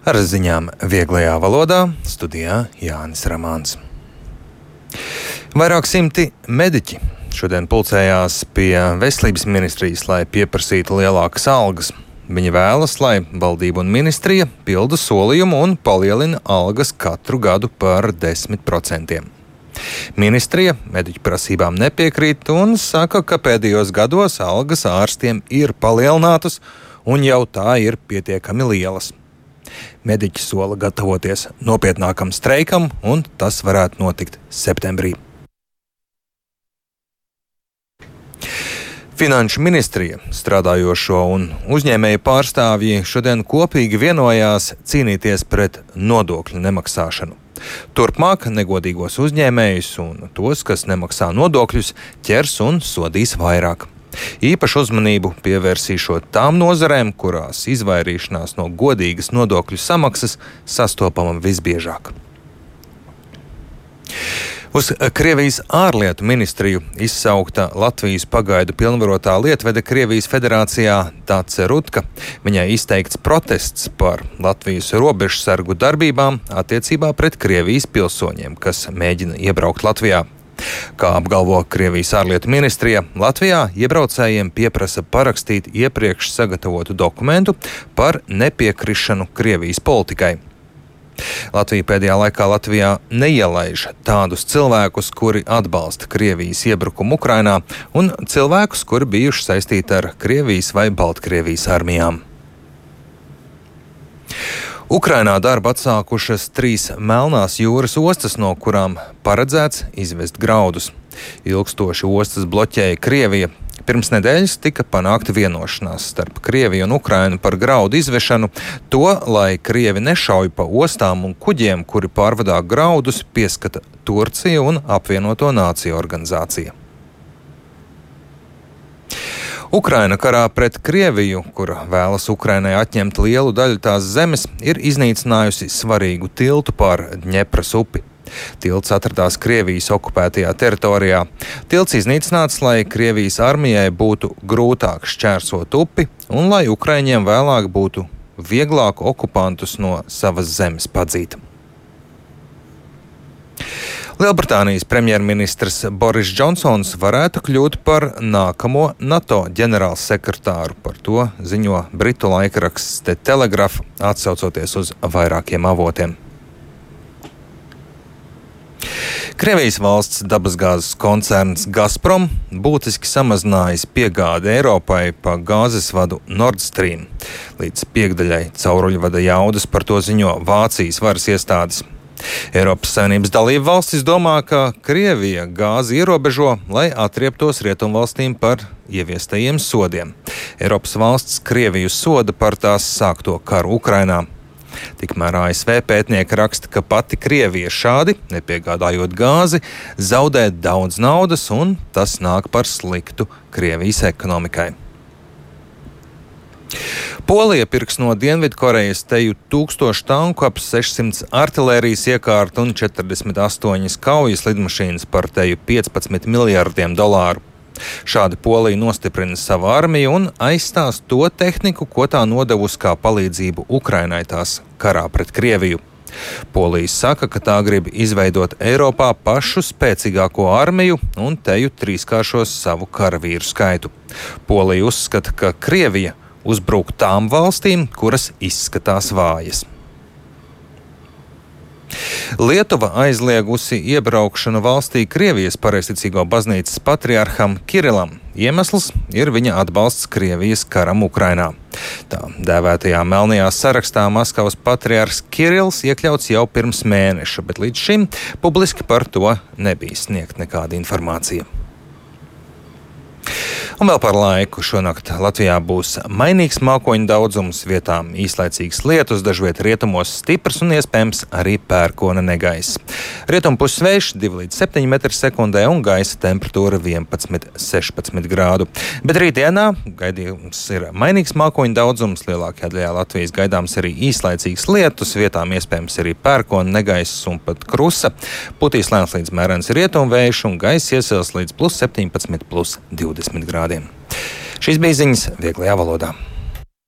Ar ziņām vieglajā valodā studijā Jānis Ramāns. Vairāk simti mediķi šodien pulcējās pie veselības ministrijas, lai pieprasītu lielākas algas. Viņi vēlas, lai valdība un ministrija pilda solījumu un palielina algas katru gadu par 10%. Ministrija mediķu prasībām nepiekrīt un saka, ka pēdējos gados algas ārstiem ir palielinātas un jau tā ir pietiekami lielas. Mediķi sola gatavoties nopietnākam streikam, un tas varētu notikt septembrī. Finanšu ministrija, strādājošo un uzņēmēju pārstāvji šodien kopīgi vienojās cīnīties pret nodokļu nemaksāšanu. Turpmāk negodīgos uzņēmējus un tos, kas nemaksā nodokļus, ķers un sodīs vairāk. Īpašu uzmanību pievērsīšot tām nozarēm, kurās izvairīšanās no godīgas nodokļu samaksas sastopama visbiežāk. Uz Krievijas ārlietu ministriju izsaukta Latvijas pagaidu pilnvarotā lietvede Krievijas federācijā Dace Rutka. Viņai izteikts protests par Latvijas robežsargu darbībām attiecībā pret Krievijas pilsoņiem, kas mēģina iebraukt Latvijā. Kā apgalvo Krievijas ārlietu ministrija, Latvijā iebraucējiem pieprasa parakstīt iepriekš sagatavotu dokumentu par nepiekrišanu Krievijas politikai. Latvija pēdējā laikā neielaiž tādus cilvēkus, kuri atbalsta Krievijas iebrukumu Ukrainā, un cilvēkus, kuri bijuši saistīti ar Krievijas vai Baltkrievijas armijām. Ukrainā darbu atsākušas 3 Melnās jūras ostas, no kurām paredzēts izvest graudus. Ilgstoši ostas bloķēja Krievija. Pirms nedēļas tika panākta vienošanās starp Krieviju un Ukrainu par graudu izvešanu, to, lai Krievi nešauj pa ostām un kuģiem, kuri pārvadā graudus, pieskata Turcija un Apvienoto Nāciju organizācija. Ukraina karā pret Krieviju, kura vēlas Ukrainai atņemt lielu daļu tās zemes, ir iznīcinājusi svarīgu tiltu pār Dņepras upi. Tilts atradās Krievijas okupētajā teritorijā. Tilts iznīcināts, lai Krievijas armijai būtu grūtāk šķērsot upi un lai ukraiņiem vēlāk būtu vieglāk okupantus no savas zemes padzīt. Lielbritānijas premjerministrs Boris Džonsons varētu kļūt par nākamo NATO ģenerālsekretāru. Par to ziņo britu laikraksts The Telegraph, atsaucoties uz vairākiem avotiem. Krievijas valsts dabasgāzes koncerns Gazprom būtiski samazinājis piegādi Eiropai pa gāzes vadu Nord Stream. Līdz piekdaļai cauruļvada jaudas, par to ziņo Vācijas varas iestādes. Eiropas Savienības dalību valstis domā, ka Krievija gāzi ierobežo, lai atrieptos rietumvalstīm par ieviestajiem sodiem. Eiropas valsts Krieviju soda par tās sākto karu Ukrainā. Tikmēr ASV pētnieki raksta, ka pati Krievija šādi, nepiegādājot gāzi, zaudē daudz naudas, un tas nāk par sliktu Krievijas ekonomikai. Polija pirks no Dienvidkorejas teju 1000 tanku, ap 600 artilērijas iekārtu un 48 kaujas lidmašīnas par teju 15 miljardiem dolāru. Šādi Polija nostiprina savu armiju un aizstās to tehniku, ko tā nodevusi kā palīdzību Ukrainai tās karā pret Krieviju. Polija saka, ka tā grib izveidot Eiropā pašu spēcīgāko armiju un teju trīskāršos savu karavīru skaitu. Polija uzskata, ka Krievija uzbruk tām valstīm, kuras izskatās vājas. Lietuva aizliegusi iebraukšanu valstī Krievijas pareizticīgo baznīcas patriarham Kirilam. Iemesls ir viņa atbalsts Krievijas karam Ukrainā. Tā dēvētajā melnajā sarakstā Maskavas patriarhs Kirils iekļauts jau pirms mēneša, bet līdz šim publiski par to nebija sniegt nekāda informācija. Un vēl par laiku. Šonakt Latvijā būs mainīgs mākoņu daudzums, vietām īslaicīgs lietus, dažviet rietumos stiprs un iespējams arī pērkona negaiss. Rietumpuses vējš 2 līdz 7 m/sekundē un gaisa temperatūra 11–16 grādu. Bet rītdienā gaidījums ir mainīgs mākoņu daudzums, lielākajā daļā Latvijas gaidāms arī īslaicīgs lietus, vietām iespējams arī pērkona negaiss un pat krusa. Putīs lēns līdz mērens rietumvējš un gaiss iesils līdz +17–+20 grādiem. Šīs bija ziņas vieglajā valodā.